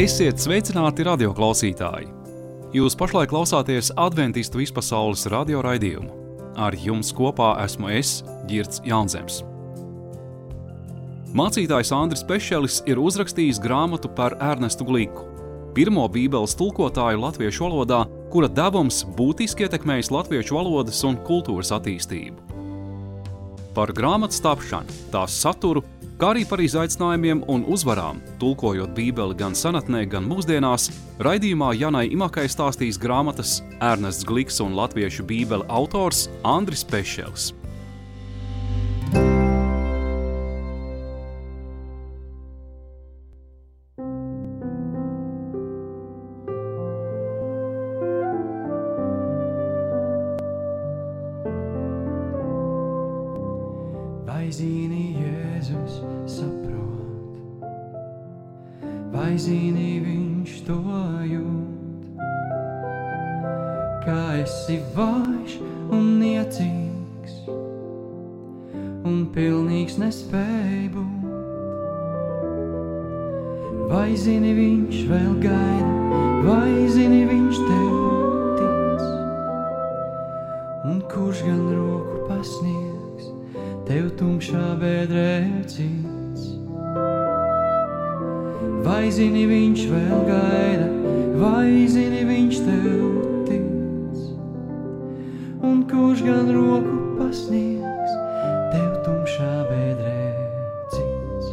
Esiet sveicināti radioklausītāji! Jūs pašlaik klausāties Adventistu vispasaules radioraidījumu. Ar jums kopā esmu es, Girts Jaunzems. Mācītājs Andris Pešelis ir uzrakstījis grāmatu par Ernestu Gliku, pirmo bībeles tulkotāju latviešu valodā, kura devums būtiski ietekmējis latviešu valodas un kultūras attīstību. Par grāmatas tapšanu, tās saturu, kā arī par izaicinājumiem un uzvarām, tulkojot bībeli gan senatnē, gan mūsdienās, raidījumā Janai Imakai stāstīs grāmatas Ernests Gliks un latviešu bībele autors Andris Pešelis. Vai zini, Jēzus saprot, vai zini, viņš to jūt, kā esi vājš un niecīgs un pilnīgs nespēj būt. Vai zini, viņš vēl gaida, vai zini, viņš tev tic, un kurš gan roku pasniegs tev tumšā bedrē cits. Vai zini, viņš vēl gaida, vai zini, viņš tev tic, un kurš gan roku pasniegs tev tumšā bedrē cits.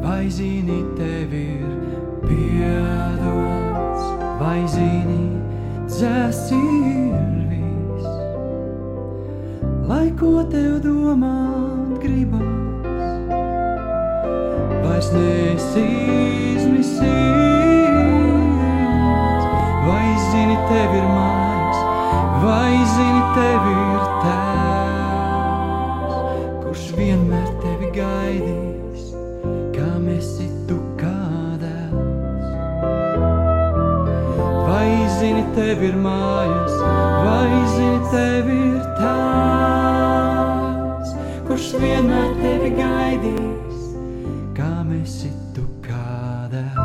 Vai zini, tev ir piedots, vai zini, dzēsts ir viss, lai ko tev domāt gribas, vairs neesi izmisīgs. Vai zini, tev ir mājas, vai zini, tev ir tēvs, kurš vienmēr tevi gaidīs, kā esi tu kā dēls. Vai zini, tev ir mājas, vai zini, tev ir tēvs, kurš vienmēr tevi gaidīs, kā esi tu kā dēls.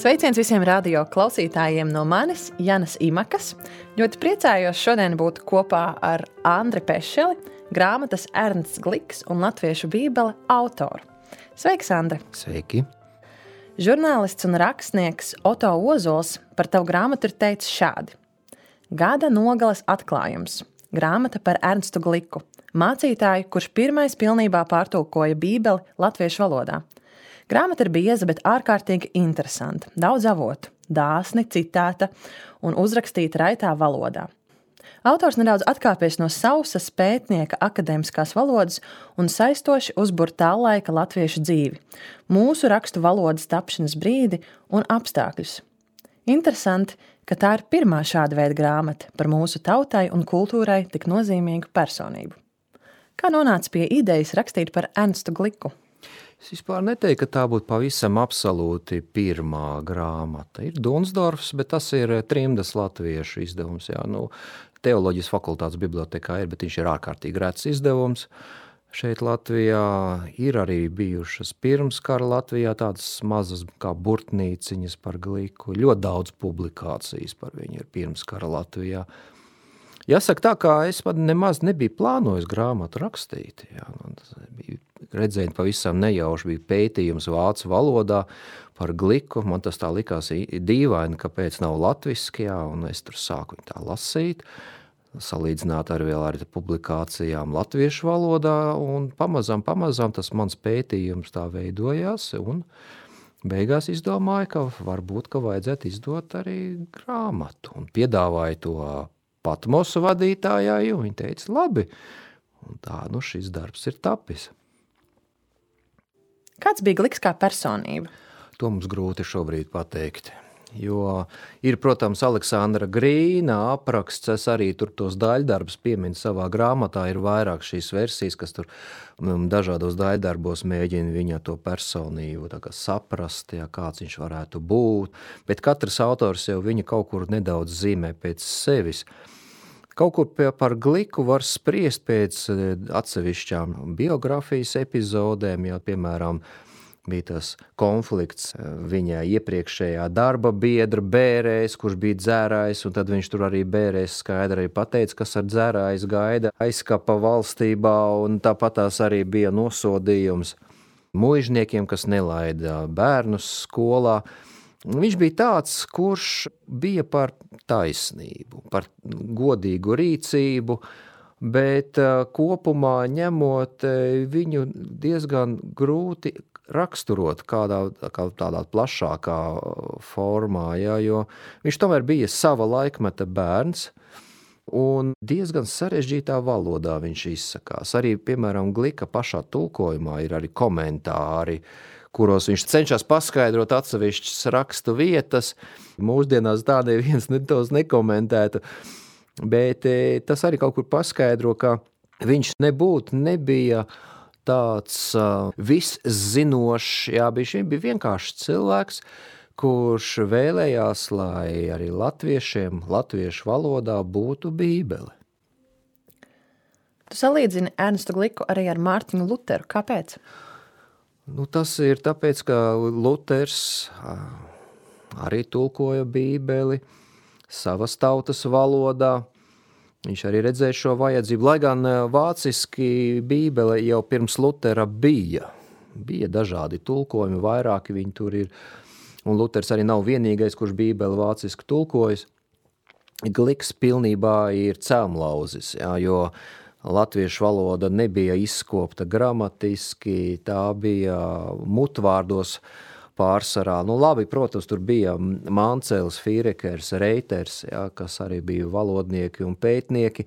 Sveiciens visiem radio klausītājiem no manis, Janas Imakas. Ļoti priecājos šodien būt kopā ar Andri Pešeli, grāmatas Ernests Gliks un latviešu bībele autoru. Sveiks, Andri! Sveiki! Žurnālists un rakstnieks Oto Ozols par tavu grāmatu ir teicis šādi. Gada nogales atklājums. Grāmata par Ernestu Gliku, mācītāju, kurš pirmais pilnībā pārtulkoja bībeli latviešu valodā. Grāmata ir bieza, bet ārkārtīgi interesanta, daudz avotu, dāsni, citēta un uzrakstīta raitā valodā. Autors nedaudz atkāpies no sausas pētnieka akadēmiskās valodas un saistoši uzbur tā laika latviešu dzīvi, mūsu rakstu valodas tapšanas brīdi un apstākļus. Interesanti, ka tā ir pirmā šāda veida grāmata par mūsu tautai un kultūrai tik nozīmīgu personību. Kā nonāca pie idejas rakstīt par Ernestu Gliku? Es vispār neteiktu, ka tā būtu pavisam absolūti pirmā grāmata. Ir Dunsdorfs, bet tas ir trimdas latviešu izdevums. Jā, teoloģijas fakultātes bibliotekā ir, bet viņš ir ārkārtīgi rets izdevums. Šeit Latvijā ir arī bijušas pirms kara Latvijā tādas mazas kā burtnīciņas par Gliku. Ļoti daudz publikācijas par viņu ir pirms kara Latvijā. Jāsaka tā, kā es pat nemaz nebiju plānojis grāmatu rakstīt. Jā, tas bija redzēt pavisam nejauši, bija pētījums vācu valodā par gliku. Man tas tā likās dīvaini, kāpēc nav latviski, jā, un es tur sāku tā lasīt, salīdzināt ar vēl ar publikācijām latviešu valodā, un pamazām tas mans pētījums tā veidojās, un beigās izdomāju, ka varbūt, ka vajadzētu izdot arī grāmatu, un piedāvāju to Patmosu vadītājai, un viņa teica, labi, un tā, šis darbs ir tapis. Kāds bija Gliks kā personība? To mums grūti šobrīd pateikt, jo ir, protams, Aleksandra Grīna apraksts, es arī tur tos daļdarbus pieminu savā grāmatā, ir vairāk šīs versijas, kas tur dažādos daļdarbos mēģina viņa to personību tā kā saprast, ja, kāds viņš varētu būt, bet katrs autors jau viņa kaut kur nedaudz zīmē pēc sevis. Kaut kur par Gliku var spriest pēc atsevišķām biografijas epizodēm, ja, piemēram, bija tas konflikts viņa iepriekšējā darba biedra Bērējs, kurš bija dzērājs, un tad viņš tur arī Bērējs skaidri pateica, kas ar dzērājs gaida aizkapa valstībā, un tāpatās arī bija nosodījums muižniekiem, kas nelaida bērnus skolā. Viņš bija tāds, kurš bija par taisnību, par godīgu rīcību, bet kopumā ņemot viņu diezgan grūti raksturot tādā plašākā formā, ja, jo viņš tomēr bija sava laikmeta bērns un diezgan sarežģītā valodā viņš izsakās. Arī, piemēram, Glika pašā tulkojumā ir arī komentāri, kuros viņš cenšas paskaidrot atsevišķas rakstu vietas. Mūsdienās tā neviens tos nekomentētu, bet tas arī kaut kur paskaidro, ka viņš nebija tāds viszinošs, jā, viņš bija vienkārši cilvēks, kurš vēlējās, lai arī latviešiem, latviešu valodā būtu bībele. Tu salīdzini Ernstu Gliku arī ar Mārtiņu Luteru. Kāpēc? Tas ir tāpēc, ka Luters arī tulkoja bībeli savas tautas valodā. Viņš arī redzēja šo vajadzību, lai gan vāciski bībele jau pirms Lutera bija dažādi tulkojumi, vairāki viņi tur ir, un Luters arī nav vienīgais, kurš bībeli vāciski tulkojas. Gliks pilnībā ir cēmlauzis, jā, jo latviešu valoda nebija izskopta gramatiski, tā bija mutvārdos pārsvarā. Labi, protams, tur bija Mancels, Fīrekers, Reiters, jā, kas arī bija valodnieki un pētnieki,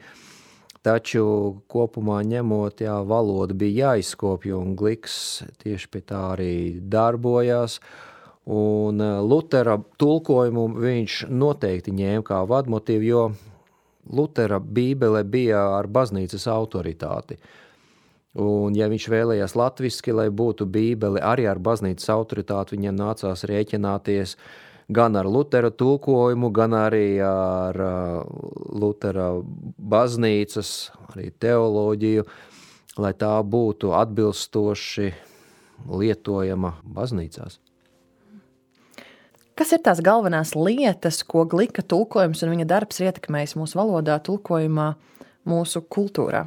taču kopumā ņemot, jā, valoda bija jāizskopja, un Gliks tieši pie tā arī darbojās. Un Lutera tulkojumu viņš noteikti ņēma kā vadmotīvu, jo Lutera bībele bija ar baznīcas autoritāti. Un ja viņš vēlējās latviski, lai būtu bībele arī ar baznīcas autoritāti, viņam nācās rēķināties gan ar Lutera tulkojumu, gan arī ar Lutera baznīcas, arī teoloģiju, lai tā būtu atbilstoši lietojama baznīcās. Kas ir tās galvenās lietas, ko Glika tulkojums un viņa darbs ir ietekmējis mūsu valodā, tulkojumā, mūsu kultūrā?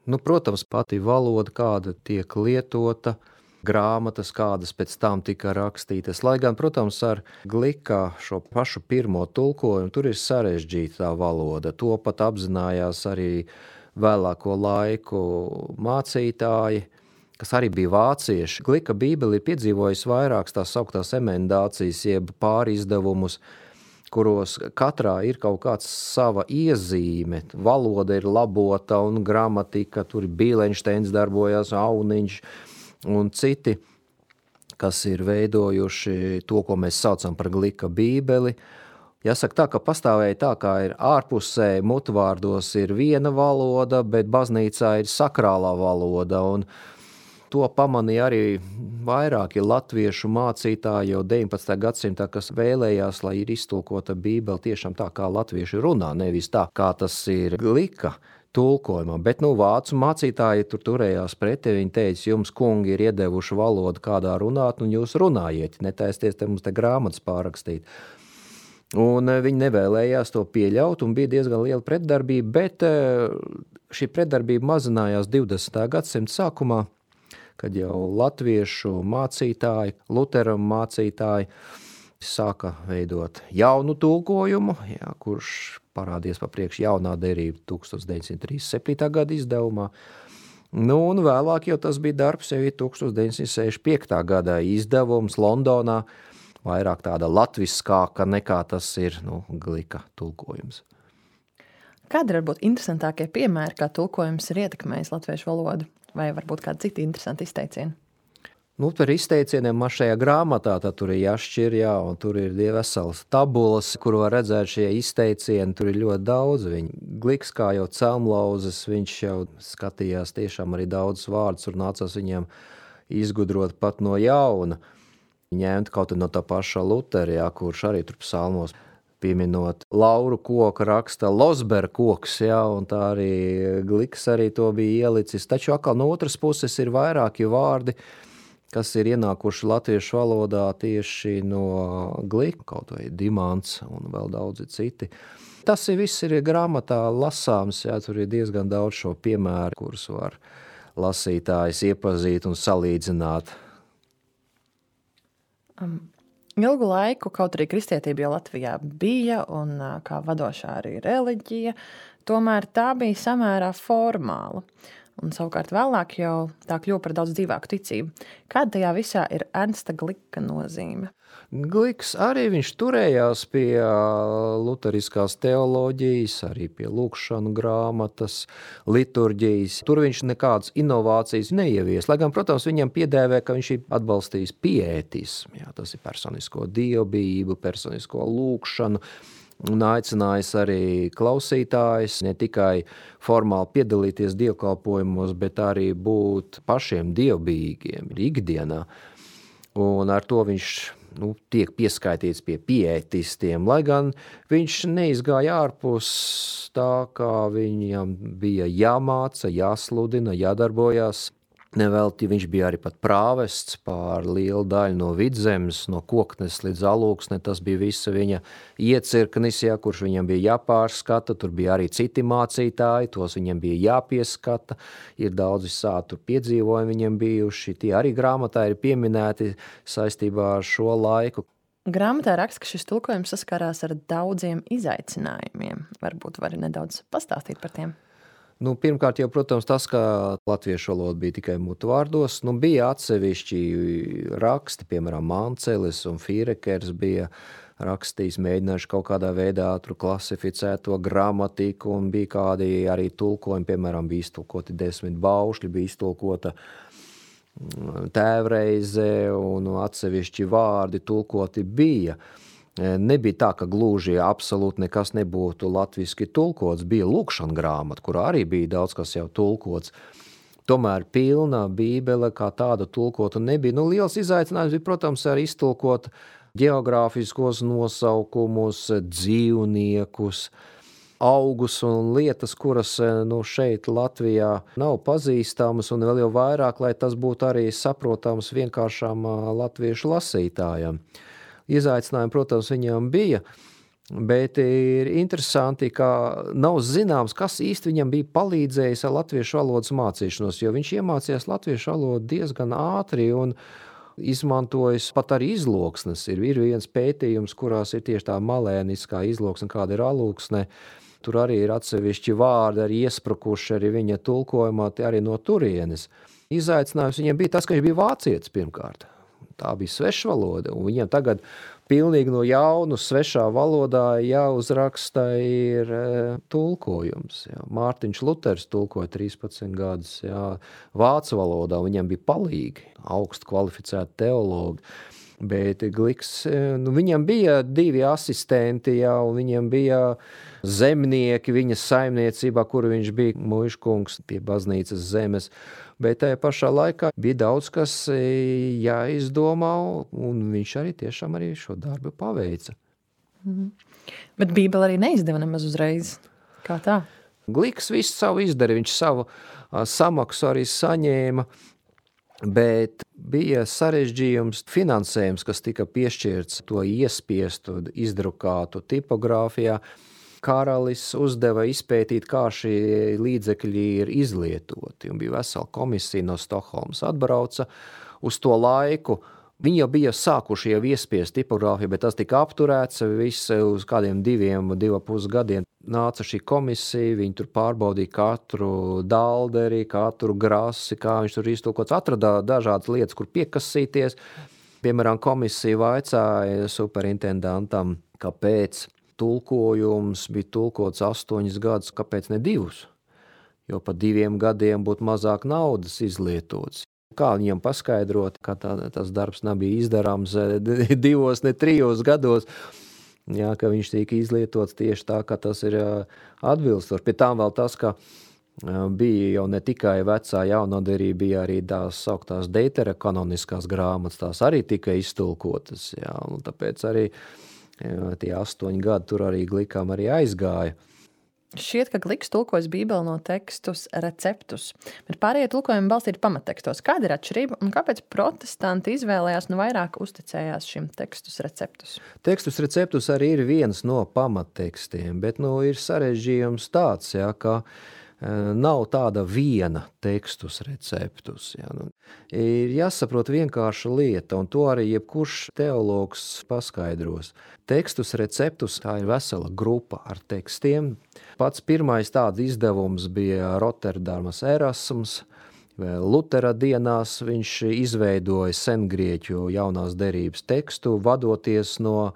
Protams, pati valoda, kāda tiek lietota, grāmatas, kādas pēc tam tika rakstītas. Lai gan, protams, ar Glika šo pašu pirmo tulkojumu, tur ir sarežģīta tā valoda. To pat apzinājās arī vēlāko laiku mācītāji, kas arī bija vācieši. Glika bībeli ir piedzīvojis vairākas tās sauktās emendācijas, jeb pārizdevumus, kuros katrā ir kaut kāds sava iezīme. Valoda ir labota un gramatika, tur Bīlenšteins darbojās, Auniņš un citi, kas ir veidojuši to, ko mēs saucam par Glika bībeli. Jāsaka tā, ka pastāvēja tā, kā ir ārpusē mutvārdos ir viena valoda, bet baznīcā ir sakrālā valoda, un to pamanīja arī vairāki latviešu mācītāji jau 19. gadsimtā, kas vēlējās, lai ir iztulkota bībele tiešām tā, kā latvieši runā, nevis tā, kā tas ir Glika tulkojumā. Bet vācu mācītāji tur turējās pretī, viņi teica, jums kungi ir iedevuši valodu, kādā runāt, un jūs runājiet, netaisties te mums te grāmatas pārrakstīt. Un viņi nevēlējās to pieļaut, un bija diezgan liela pretdarbība, bet šī pretdarbība mazinājās 20. gadsimta sākumā, kad jau latviešu mācītāji, Lutera mācītāji sāka veidot jaunu tulkojumu, kurš parādījās pa priekš jaunā derība 1937. gada izdevumā. Un vēlāk jau tas bija darbs, jau 1965. gada izdevums Londonā, vairāk tāda latviskāka nekā tas ir Glika tulkojums. Kādi ir varbūt interesantākie piemēri, kā tulkojums ir ietekmējis latviešu valodu? Vai varbūt kādi citi interesanti izteicieni? Par izteicieniem man šajā grāmatā tur ir jāšķir, un tur ir veselas tabulas, kur var redzēt šie izteicieni, tur ir ļoti daudz. Gliks kā jau celmlauzes, viņš jau skatījās tiešām arī daudz vārdus, un nācās viņiem izgudrot pat no jauna. Ņemt kaut no tā paša Lutera, kurš arī tur psalmos pieminot lauru koku raksta Losber koks, un tā arī Gliks arī to bija ielicis. Taču atkal no otras puses ir vairāki vārdi, kas ir ienākuši latviešu valodā tieši no Glika, kaut vai dimants un vēl daudzi citi. Tas viss ir grāmatā lasāms, tur ir diezgan daudz šo piemēru, kurus var lasītājs iepazīt un salīdzināt. Ilgu laiku, kaut arī kristietība jau Latvijā bija un kā vadošā arī reliģija, tomēr tā bija samērā formāla. Un savukārt vēlāk jau tā kļuva par daudz dzīvāku ticību. Kāda tajā visā ir Ernsta Glika nozīme? Gliks arī viņš turējās pie luteriskās teoloģijas, arī pie lūkšanu grāmatas, liturģijas. Tur viņš nekādas inovācijas neievies, lai gan, protams, viņam piedēvē, ka viņš ir atbalstījis piētismu. Tas ir personisko dievbijību, personisko lūkšanu, un aicinājis arī klausītājus ne tikai formāli piedalīties dievkalpojumos, bet arī būt pašiem dievbijīgiem ikdienā. Un ar to viņš tiek pieskaitīts pie piētistiem, lai gan viņš neizgāja ārpus tā, kā viņam bija jāmāca, jāsludina, jādarbojās. Nevelti viņš bija arī pat prāvests pār lielu daļu no Vidzemes, no Koknes līdz Alūksne. Tas bija visa viņa iecirknis, kurš viņam bija jāpārskata. Tur bija arī citi mācītāji, tos viņam bija jāpieskata. Ir daudz visādi piedzīvojumi viņam bijuši. Tie arī grāmatā ir pieminēti saistībā ar šo laiku. Grāmatā raksta, ka šis tulkojums saskarās ar daudziem izaicinājumiem. Varbūt vari nedaudz pastāstīt par tiem? Pirmkārt jau, protams, tas, ka latviešu valoda bija tikai mutvārdos, bija atsevišķi raksti, piemēram, Mancelis un Fīrekers bija rakstījis, mēģinājuši kaut kādā veidā klasificēt to gramatiku, un bija kādi arī tulkojumi, piemēram, bija iztulkoti 10 baušļi, bija iztulkota tēvreize un atsevišķi vārdi tulkoti bija. Nebija tā, ka gluži absolūti nekas nebūtu latviski tulkots. Bija lūkšana grāmata, kurā arī bija daudz kas jau tulkots. Tomēr pilna bībele kā tāda tulkota nebija. Liels izaicinājums bija, protams, arī iztulkot geogrāfiskos nosaukumus, dzīvniekus, augus un lietas, kuras šeit Latvijā nav pazīstamas, un vēl jau vairāk, lai tas būtu arī saprotams vienkāršām latviešu lasītājiem. Izaicinājumi, protams, viņam bija, bet ir interesanti, ka nav zināms, kas īsti viņam bija palīdzējis ar latviešu valodas mācīšanos, jo viņš iemācījās latviešu valodu diezgan ātri un izmantojis pat arī izloksnes. Ir viens pētījums, kurās ir tieši tā malēniskā izloksne, kāda ir Alūksne. Tur arī ir atsevišķi vārdi, arī iesprukuši arī viņa tulkojumā, arī no turienes. Izaicinājums viņam bija tas, ka viņš bija vācietis pirmkārt. Tā bija sveša valoda, un viņam tagad pilnīgi no jaunu svešā valodā jāuzraksta ir tulkojums. Mārtiņš Luters tulkoja 13 gadus vācu valodā, viņam bija palīgi, augstu kvalificēti teologi. Bet Gliks, viņam bija 2 asistenti, un viņam bija zemnieki viņa saimniecībā, kuru viņš bija muižkungs pie baznīcas zemes. Bet tajā pašā laikā bija daudz, kas jāizdomā, un viņš arī tiešām arī šo darbu paveica. Bet Bībele arī neizdeva nemaz uzreiz. Kā tā? Gliks visu savu izdarīja, viņš savu samaksu arī saņēma, bet bija sarežģījums finansējums, kas tika piešķirts to iespiestu, izdrukātu tipogrāfijā. Karalis uzdeva izpētīt, kā šie līdzekļi ir izlietoti, un bija vesela komisija no Stokholmas atbrauca uz to laiku. Viņi jau bija sākuši jau iespiest tipogrāfiju, bet tas tika apturēts, viss uz kādiem 2,5 gadiem nāca šī komisija, viņi tur pārbaudīja katru dalderi, katru grasi, kā viņš tur iztulkots, atradā dažādas lietas, kur piekasīties. Piemēram, komisija vaicāja superintendantam, kāpēc tulkojums bija tulkots 8 gadus, kāpēc ne 2? Jo pa 2 gadiem būtu mazāk naudas izlietots. Kā viņam paskaidrot, ka tas darbs nebija izdarāms 2, ne 3 gados, jā, ka viņš tika izlietots tieši tā, ka tas ir atbilstoši. Pie tām vēl tas, ka bija jau ne tikai vecā jaunoderība, bija arī tās sauktās Deutera kanoniskās grāmatas, tās arī tika iztulkotas, jā, un tāpēc arī tie 8 gadi tur arī Glikam arī aizgāja. Šķiet, ka Gliks tulkojas Bībeli no tekstus receptus, bet pārējie tulkojumi balstīti pamattekstos. Kāda ir atšķirība un kāpēc protestanti izvēlējās vairāk uzticējās šim tekstus receptus? Tekstus receptus arī ir viens no pamattekstiem, bet ir sarežģījums tāds, jā, ka nav tāda viena tekstus receptus. Jā. Ir jāsaprot vienkārša lieta, un to arī jebkurš teologs paskaidros. Tekstus receptus tā ir vesela grupa ar tekstiem. Pats pirmais tāds izdevums bija Rotterdamas Erasms. Lutera dienās viņš izveidoja sengrieķu jaunās derības tekstu, vadoties no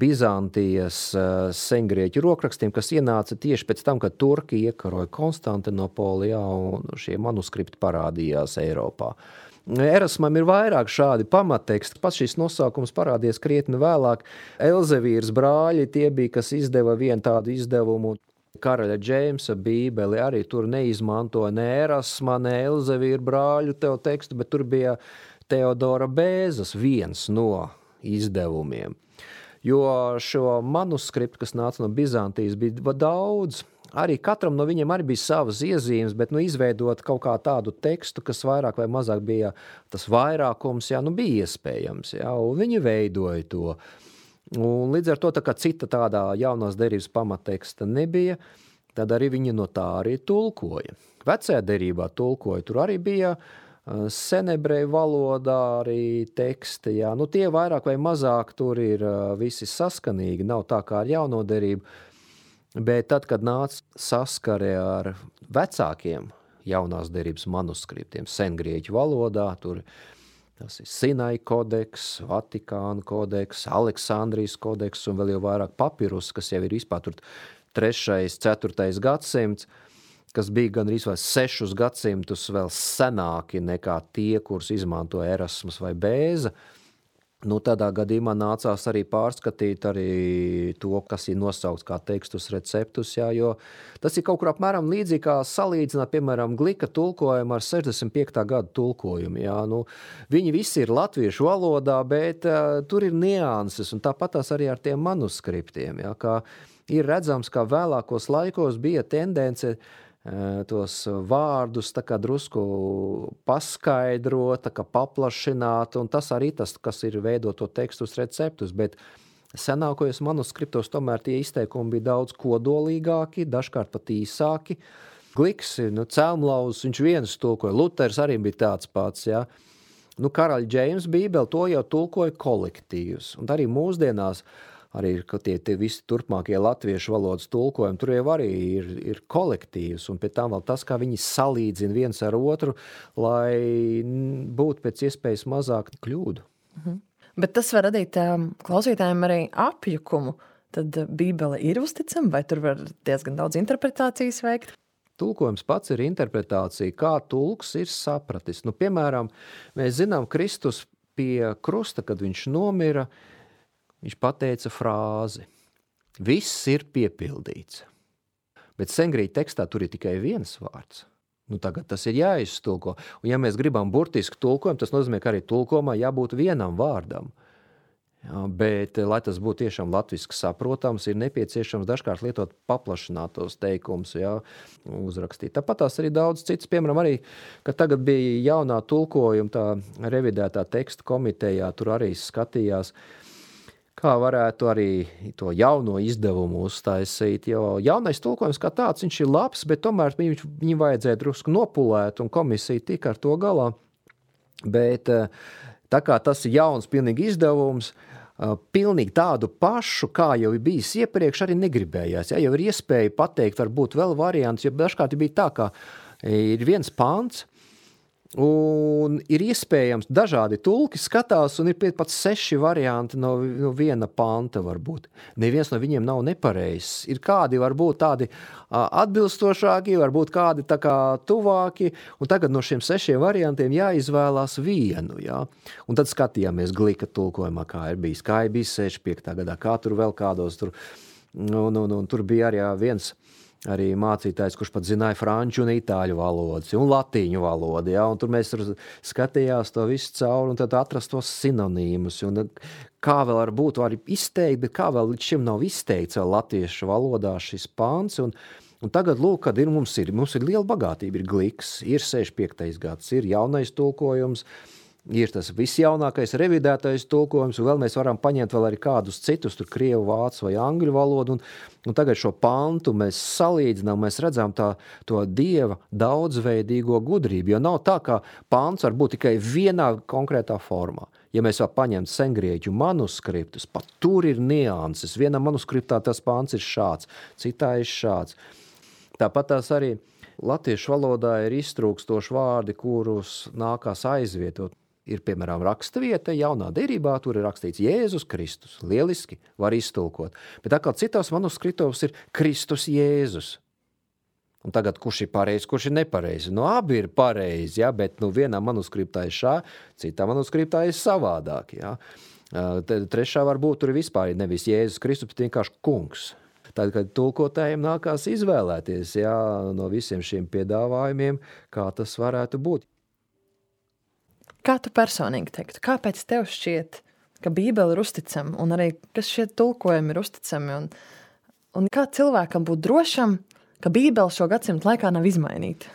Bizantijas sengrieķu rokrakstiem, kas ienāca tieši pēc tam, kad turki iekaroja Konstantinopolijā un šie manuskripti parādījās Eiropā. Erasmam ir vairāk šādi pamatteksti. Pats šis nosaukums parādījās krietni vēlāk. Elzevīras brāļi tie bija, kas izdeva vienu tādu izdevumu. Karaļa Džeimsa bībeli arī tur neizmantoja ne Erasma, ne Elzevīra brāļu tekstu, bet tur bija Teodora Bēzas viens no izdevumiem. Jo šo manuskriptu, kas nāca no Bizantijas, bija daudz. Arī katram no viņiem arī bija savas iezīmes, bet izveidot kaut kā tādu tekstu, kas vairāk vai mazāk bija tas vairākums, jā, bija iespējams. Jā, un viņi veidoja to. Un līdz ar to, tā kā cita tādā jaunās derības pamatteksta nebija, tad arī viņi no tā arī tulkoja. Vecajā derībā tulkoja, tur arī bija senebreju valodā arī teksti, jā. Tie vairāk vai mazāk tur ir visi saskanīgi, nav tā kā ar jauno derību, bet tad, kad nāca saskare ar vecākiem jaunās derības manuskriptiem, sengrieķu valodā, tur tas ir Sinai kodeks, Vatikāna kodeks, Aleksandrijas kodeks un vēl jau vairāk papirus, kas jau ir vispār tur 3., 4. gadsimts, kas bija gan arī 6 gadsimtus vēl senāki nekā tie, kurus izmantoja Erasmus vai Bēza. Tādā gadījumā nācās arī pārskatīt arī to, kas ir nosaukts kā tekstus receptus, jā, jo tas ir kaut kur apmēram līdzīgi kā salīdzināt, piemēram, Glika tulkojumu ar 65. gadu tulkojumu. Jā. Viņi visi ir latviešu valodā, bet tur ir nianses, un tāpatās arī ar tiem manuskriptiem. Jā, kā ir redzams, ka vēlākos laikos bija tendence tos vārdus tā kā drusku paskaidrot, tā kā paplašināt, un tas arī tas, kas ir veidot to tekstus receptus, bet senākajos manuskriptos tomēr tie izteikumi bija daudz kodolīgāki, dažkārt pat īsāki. Gliks, Celmlaus, viņš viens tulkoja, Luters arī bija tāds pats, jā. Karaļa Džeimsa bībeli to jau tulkoja kolektīvs, un arī mūsdienās arī ir tie visi turpmākie latviešu valodas tulkojumi, tur jau arī ir kolektīvs, un pēc tam vēl tas, kā viņi salīdzina viens ar otru, lai būtu pēc iespējas mazāk kļūdu. Mhm. Bet tas var radīt klausītājiem arī apjukumu. Tad bībele ir uzticama, vai tur var diezgan daudz interpretācijas veikt? Tulkojums pats ir interpretācija, kā tulks ir sapratis. Piemēram, mēs zinām Kristus pie krusta, kad viņš nomira, viņš pateica frāzi: viss ir piepildīts. Bet sengrieķu tekstā tur ir tikai viens vārds. Tagad tas ir jāiztulko. Un ja mēs gribam burtisku tulkojumu, tas nozīmē, ka arī tulkojumā jābūt vienam vārdam. Jā, bet, lai tas būtu tiešām latviski saprotams, ir nepieciešams dažkārt lietot paplašinātos teikumus, jā, uzrakstīt. Tāpat tās arī daudz citas, piemēram, arī, kad tagad bija jaunā tulkojuma, tā revidētā teksta komitejā, tur arī skatījās, kā varētu arī to jauno izdevumu uztaisīt, jo jaunais tulkojums kā tāds, viņš ir labs, bet tomēr viņu vajadzēja drusku nopulēt, un komisija tika ar to galā. Bet tā kā tas ir jauns pilnīgi izdevums, pilnīgi tādu pašu, kā jau ir bijis iepriekš, arī negribējās. Ja? Jau ir iespēja pateikt, varbūt vēl variants, jo dažkārt bija tā, ka ir viens pants, un ir iespējams dažādi tulki skatās, un ir pat 6 varianti no viena panta varbūt. Neviens no viņiem nav nepareizs. Ir kādi varbūt tādi atbilstošāki, varbūt kādi tā kā tuvāki, un tagad no šiem 6 variantiem jāizvēlās vienu. Ja? Un tad skatījāmies Glika tulkojumā, kā ir bijis 65. gadā, kā tur vēl kādos tur. Un tur bija arī viens arī mācītājs, kurš pat zināja franču un itāļu valodas un latīņu valodu. Ja? Un tur mēs skatījās to visu cauri un tad atrast tos sinonīmus. Un kā vēl var būt arī izteikt, bet kā vēl līdz šim nav izteikts vēl latviešu valodā šis pāns. Un tagad, lūk, kad mums ir liela bagātība, ir Gliks, ir 65. gads, ir jaunais tulkojums, ir tas visjaunākais revidētais tulkojums, un vēl mēs varam paņemt vēl arī kādus citus, tur krievu, vācu vai angļu valodu, un tagad šo pantu mēs salīdzinām, mēs redzam to Dieva daudzveidīgo gudrību, jo nav tā, ka pants var būt tikai vienā konkrētā formā. Ja mēs vēl paņemt sengrieķu manuskriptus, pat tur ir nianses. Vienā manuskriptā tas pants ir šāds, citā ir šāds. Tāpat tās arī latviešu valodā ir iztrūkstoši vārdi, kurus nākās aizvietot. Ir, piemēram, rakstavieta jaunā derībā, tur ir rakstīts Jēzus Kristus. Lieliski var iztulkot. Bet tā kā citās manuskriptos ir Kristus Jēzus. Un tagad, kurš ir pareizi, kurš ir nepareizi? Abi ir pareizi, ja? Bet vienā manuskriptā ir šā, citā manuskriptā ir savādāk. Ja? Trešā varbūt tur ir vispār nevis Jēzus Kristus, bet vienkārši kungs. Tad, kad tulkotājiem nākās izvēlēties no visiem šiem piedāvājumiem, kā tas varētu būt. Kā tu personīgi teiktu? Kāpēc tev šķiet, ka Bībele ir uzticama un arī, kas šie tulkojumi ir uzticami? Un kā cilvēkam būt drošam, ka Bībele šo gadsimtu laikā nav izmainīta?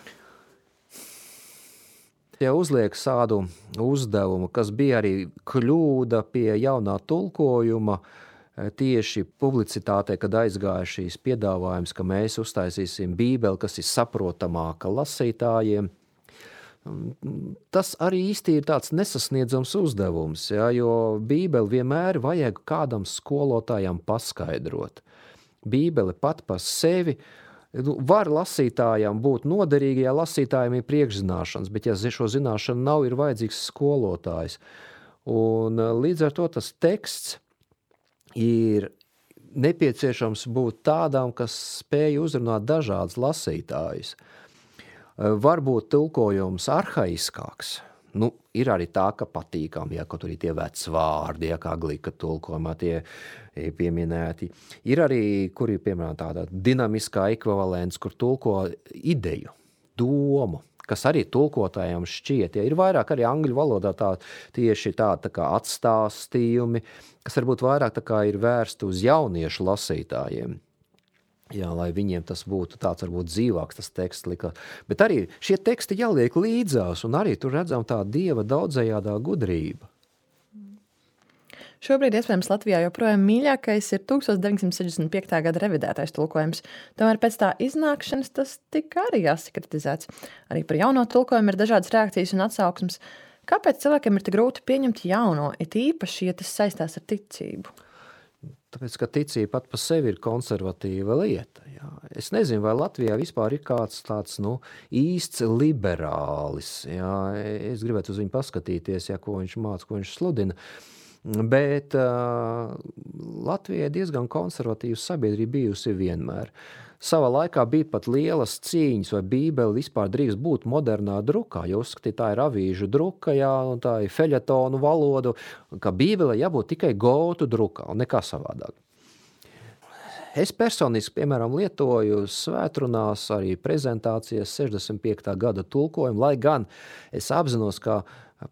Ja uzliek tādu uzdevumu, kas bija arī kļūda pie jaunā tulkojuma, tieši publicitātē, kad aizgāja šīs piedāvājums, ka mēs uztaisīsim Bībeli, kas ir saprotamāka lasītājiem, tas arī īsti ir tāds nesasniedzams uzdevums, jo Bībeli vienmēr vajag kādam skolotājam paskaidrot. Bībele pat par sevi var lasītājam būt noderīga, ja lasītājiem ir priekšzināšanas, bet ja šo zināšanu nav, ir vajadzīgs skolotājs. Un līdz ar to tas teksts ir nepieciešams būt tādām, kas spēj uzrunāt dažādas lasītājus. Varbūt tulkojums arhaiskāks. Ir arī tā, ka patīkam, ka tur ir tie veci vārdi, kā Glika tulkojumā tie pieminēti. Ir arī, kur ir, piemēram, tāda dinamiskā ekvivalents, kur tulko ideju, domu, kas arī tulkotājiem šķiet. Ir vairāk arī angļu valodā tieši tā kā atstāstījumi, kas varbūt vairāk tā kā ir vērsti uz jauniešu lasītājiem. Lai viņiem tas būtu tāds varbūt dzīvāks tas teksts likās. Bet arī šie teksti jāliek līdzās, un arī tur redzam tā Dieva daudzajādā gudrība. Šobrīd, iespējams, Latvijā joprojām mīļākais ir 1965. gada revidētais tulkojums. Tomēr pēc tā iznākšanas tas tika arī jāsakritizēts. Arī par jauno tulkojumu ir dažādas reakcijas un atsauksmes. Kāpēc cilvēkiem ir tik grūti pieņemt jauno, it īpaši, ja tas saistās ar ticību? Tāpēc, ka ticība pat par sevi ir konservatīva lieta. Jā. Es nezinu, vai Latvijā vispār ir kāds tāds īsts liberālis. Jā. Es gribētu uz viņu paskatīties, ko viņš māca, ko viņš sludina. Bet Latvijai diezgan konservatīva sabiedrība bijusi vienmēr. Savā laikā bija pat lielas cīņas, vai Bībele vispār drīkst būt modernā drukā, jo uzskatīt, tā ir avīžu druka, un tā ir feļetonu valodu, ka Bībele jābūt tikai gotu drukā un nekā savādāk. Es personiski, piemēram, lietoju svētrunās arī prezentācijas 65. gada tulkojumu, lai gan es apzinos, ka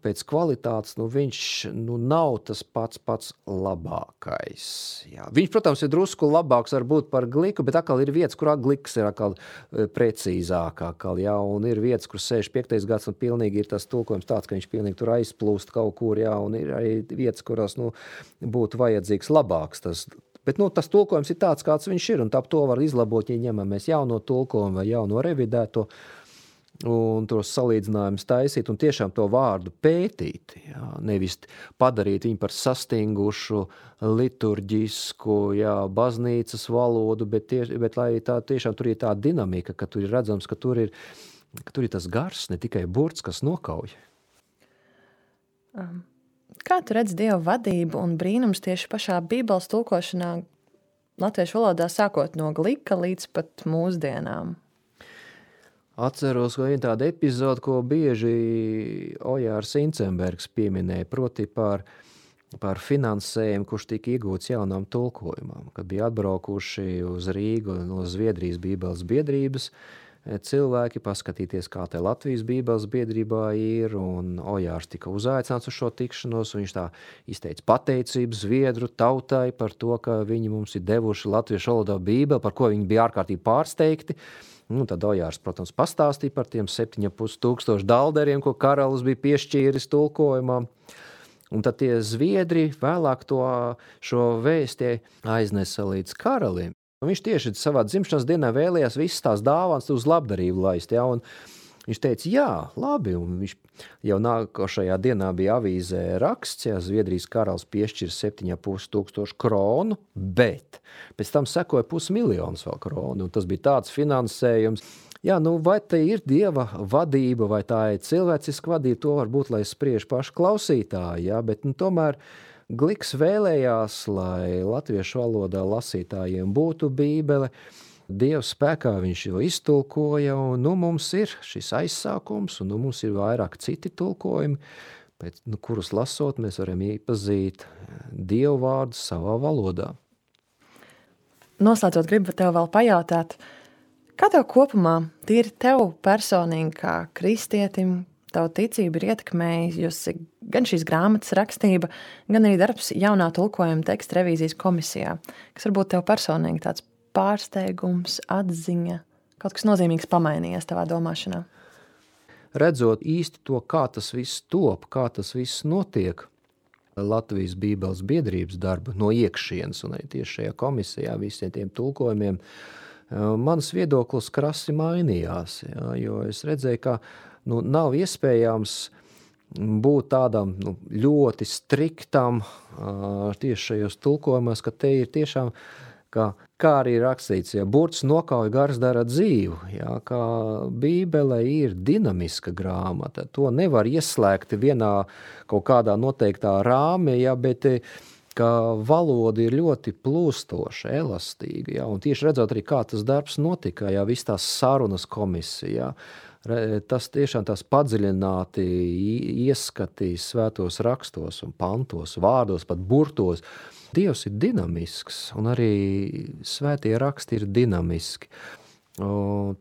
pēc kvalitātes, viņš nav tas pats labākais. Jā. Viņš, protams, ir drusku labāks varbūt par Gliku, bet atkal ir vietas, kurā Gliks ir atkal precīzāk. Jā, un ir vietas, kur 65. gads un pilnīgi ir tas tulkojums tāds, ka viņš pilnīgi tur aizplūst kaut kur, jā, un ir arī vietas, kurās būtu vajadzīgs labāks tas. Bet tas tulkojums ir tāds, kāds viņš ir, un tā to var izlabot, ja ņemamies jauno tulkojumu vai jauno revidēto, un tos salīdzinājumus taisīt un tiešām to vārdu pētīt, jā, nevis padarīt viņu par sastingušu, liturģisku, jā, baznīcas valodu, bet lai tā tiešām tur ir tā dinamika, ka tur ir redzams, ka tur ir tas gars, ne tikai burts, kas nokauj. Kā tu redz Dieva vadību un brīnums tieši pašā Bībeles tulkošanā latviešu valodā sākot no Glika līdz pat mūsdienām? Atceros, ka viena tāda epizode, ko bieži Ojārs Incenbergs pieminēja, proti par finansējumu, kurš tika iegūts jaunām tulkojumam. Kad bija atbraukuši uz Rīgu no Zviedrijas Bībeles biedrības cilvēki paskatīties, kā te Latvijas Bībeles biedrībā ir, un Ojārs tika uzaicināts uz šo tikšanos, un viņš tā izteica pateicību Zviedru tautai par to, ka viņi mums ir devuši latviešu valodā Bībeli, par ko viņi bija ārkārtīgi pārsteigti. Tad Ojārs, protams, pastāstīja par tiem 7,500 dalderiem, ko karalis bija piešķīris tulkojumam. Un tad tie zviedri vēlāk šo vēsti aiznesa līdz karalim. Un viņš tieši savā dzimšanas dienā vēlējās visas tās dāvāns uz labdarību laist. Ja? Un viņš teica, jā, labi, un viņš jau nākošajā dienā bija avīzē raksts, ja Zviedrijas karalis piešķir 7,500 kronu, bet pēc tam sekoja 500 000 vēl kronu, un tas bija tāds finansējums. Jā, vai te ir Dieva vadība, vai tā ir cilvēciska vadība, to varbūt, lai spriež paši klausītāji, jā, bet tomēr Gliks vēlējās, lai latviešu valodā lasītājiem būtu Bībele, Dieva spēkā viņš jau iztulkoja, un mums ir šis aizsākums, un mums ir vairāk citi tulkojumi, bet, kurus lasot, mēs varam iepazīt Dievu vārdu savā valodā. Noslēdzot, gribu tev vēl pajautāt, kā tev kopumā, tīri tev personīgi kā kristietim, tavu ticību ir ietekmējusi gan šīs grāmatas rakstība, gan arī darbs jaunā tulkojuma teksta revīzijas komisijā, kas varbūt tev personīgi tāds pārsteigums, atziņa, kaut kas nozīmīgs pamainījies tavā domāšanā? Redzot īsti to, kā tas viss top, kā tas viss notiek Latvijas Bībeles biedrības darba no iekšienes un arī tieši šajā komisijā visiem tiem tulkojumiem, mans viedoklis krasi mainījās, jā, jo es redzēju, ka nav iespējams būt tādam ļoti striktam tieši šajos tulkojumos, ka te ir tiešām kā arī rakstīts, ja burts nokauj, gars dara dzīvu, jā, kā Bībele ir dinamiska grāmata. To nevar ieslēgt vienā kaut kādā noteiktā rāmī, jā, bet ka valoda ir ļoti plūstoša, elastīga, jā, un tieši redzot arī, kā tas darbs notika, jā, viss tās sarunas komisijā, tas tiešām tās padziļināti ieskatīs svētos rakstos un pantos, vārdos, pat burtos. Dievs ir dinamisks, un arī svētie raksti ir dinamiski.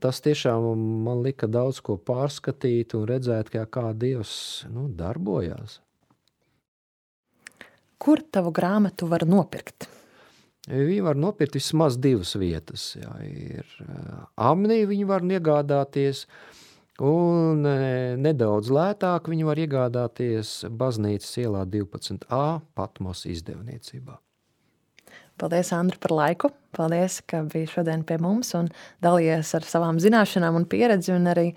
Tas tiešām man lika daudz ko pārskatīt un redzēt, kā Dievs darbojās. Kur tavu grāmatu var nopirkt? Viņu var nopirkt vismaz 2 vietas. Jā, ir Amnī viņu var iegādāties, un nedaudz lētāk viņu var iegādāties Baznīcas ielā 12A Patmos izdevniecībā. Paldies, Andri, par laiku. Paldies, ka biji šodien pie mums un dalījies ar savām zināšanām un pieredzi, un arī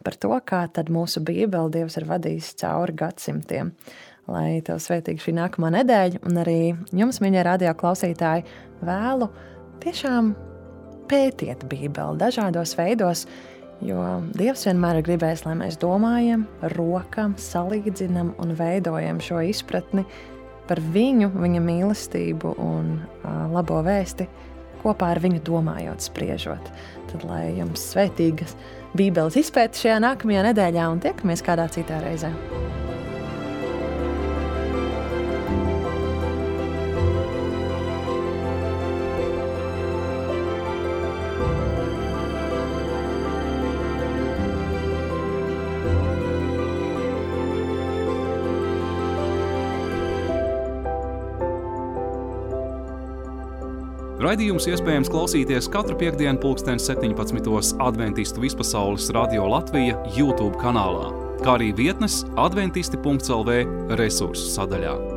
par to, kā tad mūsu Bībeli Dievs ir vadījis cauri gadsimtiem. Lai tev svētīgi šī nākamā nedēļa, un arī jums, mīļie radio klausītāji, vēlu tiešām pētiet Bībeli dažādos veidos, jo Dievs vienmēr ir gribējis, lai mēs domājam, rokam, salīdzinam un veidojam šo izpratni par viņu, viņa mīlestību un labo vēsti, kopā ar viņu domājot, spriežot. Tad, lai jums svētīgas Bībeles izpēta šajā nākamajā nedēļā, un tiekamies kādā citā reizē. Raidījums iespējams klausīties katru piektdienu 17:00 Adventistu vispasaules radio Latvija YouTube kanālā, kā arī vietnes adventisti.lv resursu sadaļā.